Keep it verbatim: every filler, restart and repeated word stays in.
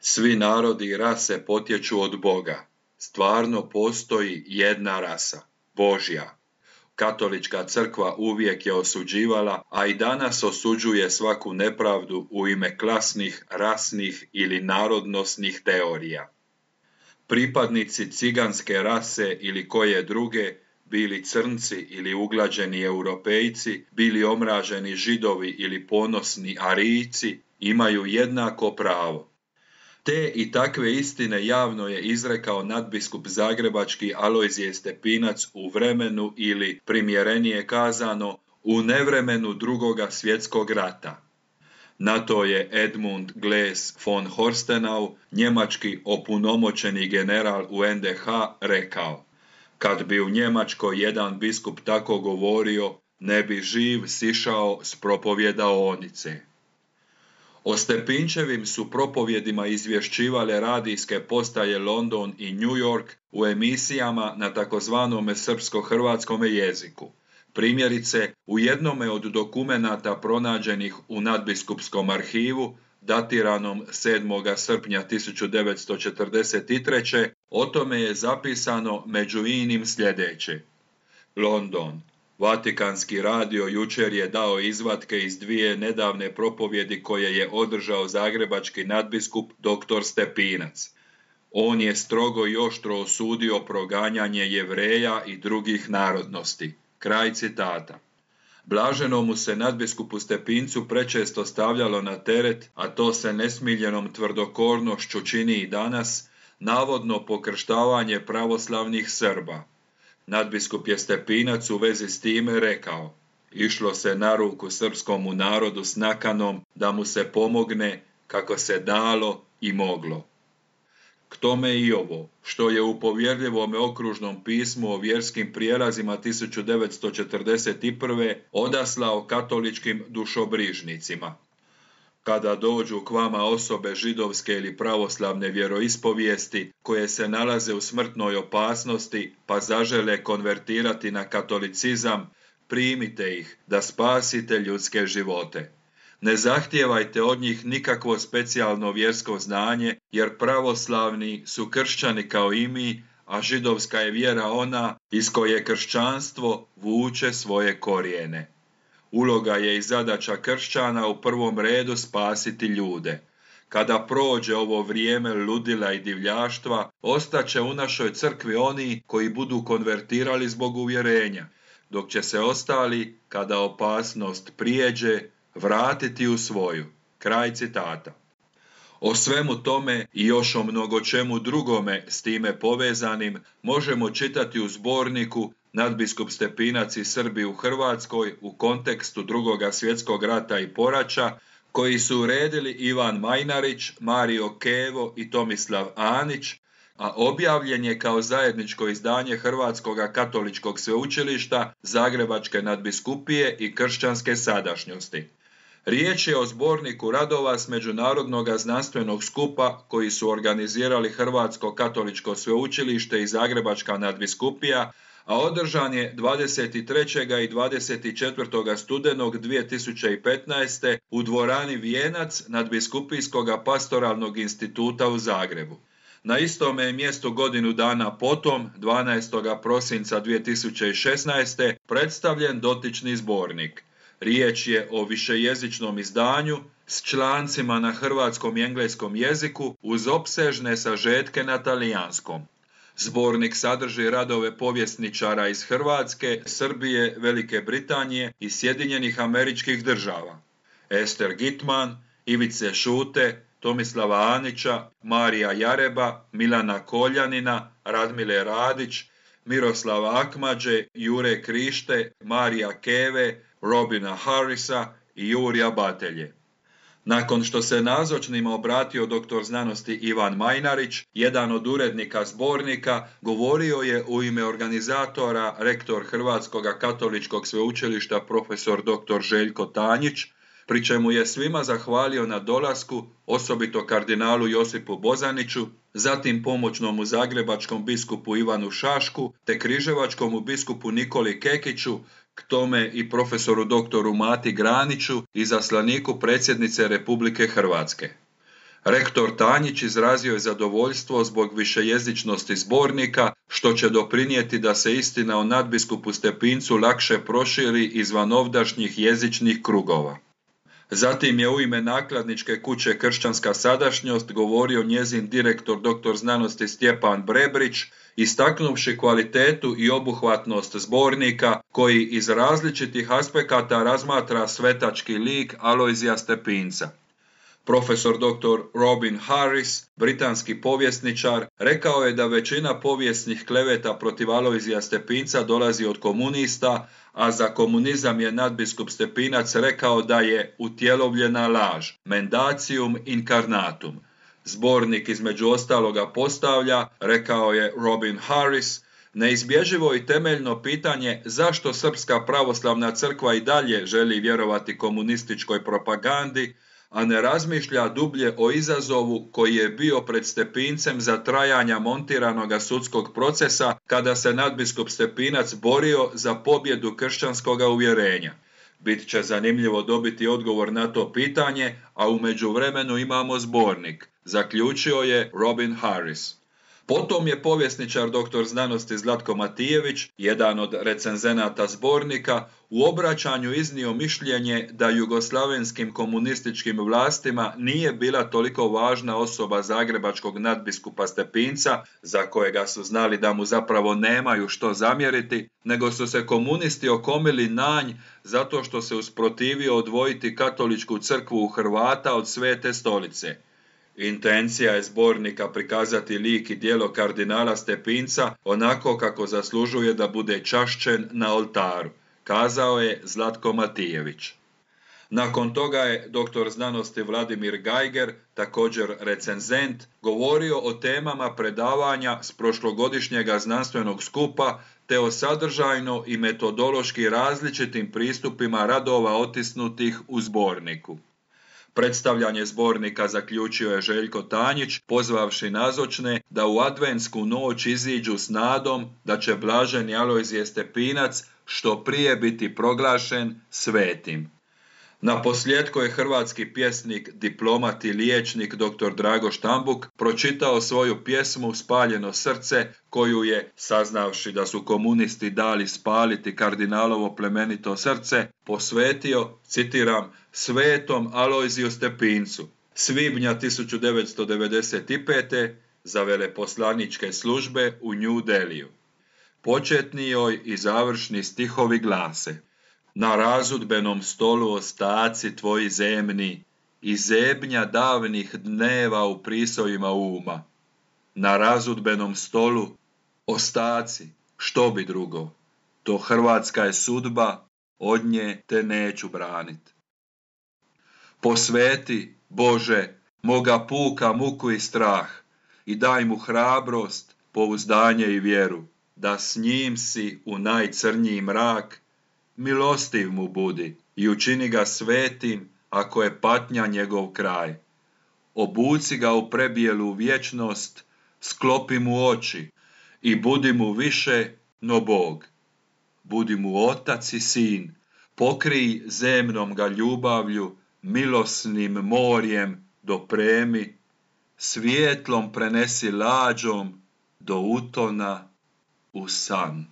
Svi narodi i rase potječu od Boga. Stvarno postoji jedna rasa, Božja. Katolička crkva uvijek je osuđivala, a i danas osuđuje svaku nepravdu u ime klasnih, rasnih ili narodnosnih teorija. Pripadnici ciganske rase ili koje druge, bili crnci ili uglađeni europejci, bili omraženi židovi ili ponosni arijci, imaju jednako pravo. Te i takve istine javno je izrekao nadbiskup zagrebački Alojzije Stepinac u vremenu ili, primjerenije kazano, u nevremenu drugoga svjetskog rata. Na to je Edmund Glaes von Horstenau, njemački opunomoćeni general u en de ha, rekao: kad bi u Njemačkoj jedan biskup tako govorio, ne bi živ sišao s propovjedaonice. O Stepinčevim su propovjedima izvješćivale radijske postaje London i New York u emisijama na takozvanome srpsko-hrvatskom jeziku. Primjerice, u jednome od dokumenata pronađenih u nadbiskupskom arhivu, datiranom sedmog srpnja tisuću devetsto četrdeset treće. o tome je zapisano među inim sljedeće. London. Vatikanski radio jučer je dao izvatke iz dvije nedavne propovjedi koje je održao zagrebački nadbiskup doktor Stepinac. On je strogo i oštro osudio proganjanje Jevreja i drugih narodnosti. Kraj citata. Blaženomu se nadbiskupu Stepincu prečesto stavljalo na teret, a to se nesmiljenom tvrdokornošću čini i danas, navodno pokrštavanje pravoslavnih Srba. Nadbiskup je Stepinac u vezi s time rekao: išlo se na ruku srpskomu narodu s nakanom da mu se pomogne kako se dalo i moglo. K tome i ovo, što je u povjerljivome okružnom pismu o vjerskim prijelazima tisuću devetsto četrdeset prve. odaslao katoličkim dušobrižnicima. Kada dođu k vama osobe židovske ili pravoslavne vjeroispovijesti koje se nalaze u smrtnoj opasnosti pa zažele konvertirati na katolicizam, primite ih da spasite ljudske živote. Ne zahtijevajte od njih nikakvo specijalno vjersko znanje, jer pravoslavni su kršćani kao i mi, a židovska je vjera ona iz koje kršćanstvo vuče svoje korijene. Uloga je i zadaća kršćana u prvom redu spasiti ljude. Kada prođe ovo vrijeme ludila i divljaštva, ostaće u našoj crkvi oni koji budu konvertirali zbog uvjerenja, dok će se ostali, kada opasnost prijeđe, vratiti u svoju. Kraj citata. O svemu tome i još o mnogo čemu drugome s time povezanim možemo čitati u zborniku Nadbiskup Stepinac i Srbi u Hrvatskoj u kontekstu drugoga svjetskog rata i poraća, koji su uredili Ivan Majnarić, Mario Kevo i Tomislav Anić, a objavljen je kao zajedničko izdanje Hrvatskog katoličkog sveučilišta, Zagrebačke nadbiskupije i Kršćanske sadašnjosti. Riječ je o zborniku radova s međunarodnog znanstvenog skupa koji su organizirali Hrvatsko katoličko sveučilište i Zagrebačka nadbiskupija, a održan je dvadeset trećeg i dvadeset četvrtog studenog dvije tisuće petnaeste. u dvorani Vijenac Nadbiskupijskog pastoralnog instituta u Zagrebu. Na istome je mjestu godinu dana potom, dvanaestog prosinca dvije tisuće šesnaeste. predstavljen dotični zbornik. Riječ je o višejezičnom izdanju s člancima na hrvatskom i engleskom jeziku uz opsežne sažetke na talijanskom. Zbornik sadrži radove povjesničara iz Hrvatske, Srbije, Velike Britanije i Sjedinjenih Američkih Država. Ester Gitman, Ivice Šute, Tomislava Anića, Marija Jareba, Milana Koljanina, Radmile Radić, Miroslava Akmađe, Jure Krište, Marija Keve, Robina Harrisa i Jurija Batelje. Nakon što se nazočnima obratio doktor znanosti Ivan Majnarić, jedan od urednika zbornika, govorio je u ime organizatora rektor Hrvatskog katoličkog sveučilišta profesor doktor Željko Tanjić, pri čemu je svima zahvalio na dolasku, osobito kardinalu Josipu Bozaniću, zatim pomoćnomu zagrebačkom biskupu Ivanu Šašku te križevačkomu biskupu Nikoli Kekiću, k tome i profesoru doktoru Mati Graniću, izaslaniku predsjednice Republike Hrvatske. Rektor Tanjić izrazio je zadovoljstvo zbog višejezičnosti zbornika, što će doprinijeti da se istina o nadbiskupu Stepincu lakše proširi izvan ovdašnjih jezičnih krugova. Zatim je u ime nakladničke kuće Kršćanska sadašnjost govorio njezin direktor doktor znanosti Stjepan Brebrić, istaknuvši kvalitetu i obuhvatnost zbornika koji iz različitih aspekata razmatra svetački lik Alojzija Stepinca. Profesor doktor Robin Harris, britanski povjesničar, rekao je da većina povijesnih kleveta protiv Alojzija Stepinca dolazi od komunista, a za komunizam je nadbiskup Stepinac rekao da je utjelovljena laž, mendacium incarnatum. Zbornik između ostaloga postavlja, rekao je Robin Harris, neizbježivo i temeljno pitanje zašto Srpska pravoslavna crkva i dalje želi vjerovati komunističkoj propagandi, a ne razmišlja dublje o izazovu koji je bio pred Stepincem za trajanja montiranoga sudskog procesa kada se nadbiskup Stepinac borio za pobjedu kršćanskoga uvjerenja. Bit će zanimljivo dobiti odgovor na to pitanje, a u međuvremenu imamo zbornik, zaključio je Robin Harris. Potom je povjesničar doktor znanosti Zlatko Matijević, jedan od recenzenata zbornika, u obraćanju iznio mišljenje da jugoslavenskim komunističkim vlastima nije bila toliko važna osoba zagrebačkog nadbiskupa Stepinca, za kojega su znali da mu zapravo nemaju što zamjeriti, nego su se komunisti okomili na nj zato što se usprotivio odvojiti katoličku crkvu u Hrvata od Svete stolice. Intencija je zbornika prikazati lik i djelo kardinala Stepinca onako kako zaslužuje da bude čašćen na oltaru, kazao je Zlatko Matijević. Nakon toga je doktor znanosti Vladimir Gajger, također recenzent, govorio o temama predavanja s prošlogodišnjega znanstvenog skupa te o sadržajno i metodološki različitim pristupima radova otisnutih u zborniku. Predstavljanje zbornika zaključio je Željko Tanjić, pozvavši nazočne da u adventsku noć iziđu s nadom da će blaženi Alojzije Stepinac što prije biti proglašen svetim. Na posljetku je hrvatski pjesnik, diplomat i liječnik doktor Drago Štambuk pročitao svoju pjesmu Spaljeno srce, koju je, saznavši da su komunisti dali spaliti kardinalovo plemenito srce, posvetio, citiram, svetom Alojziju Stepincu, svibnja tisuću devetsto devedeset pete. za veleposlaničke službe u New Deliju. Početni joj i završni stihovi glase: na razudbenom stolu ostaci tvoji zemni i zebnja davnih dneva u prisojima uma. Na razudbenom stolu ostaci, što bi drugo, to hrvatska je sudba, od nje te neću branit. Posveti, Bože, moga puka muku i strah i daj mu hrabrost, pouzdanje i vjeru, da s njim si u najcrnji mrak, milostiv mu budi i učini ga svetim ako je patnja njegov kraj. Obuci ga u prebijelu vječnost, sklopi mu oči i budi mu više no Bog. Budi mu otac i sin, pokrij zemnom ga ljubavlju, milosnim morjem dopremi, svijetlom prenesi lađom do utona u san.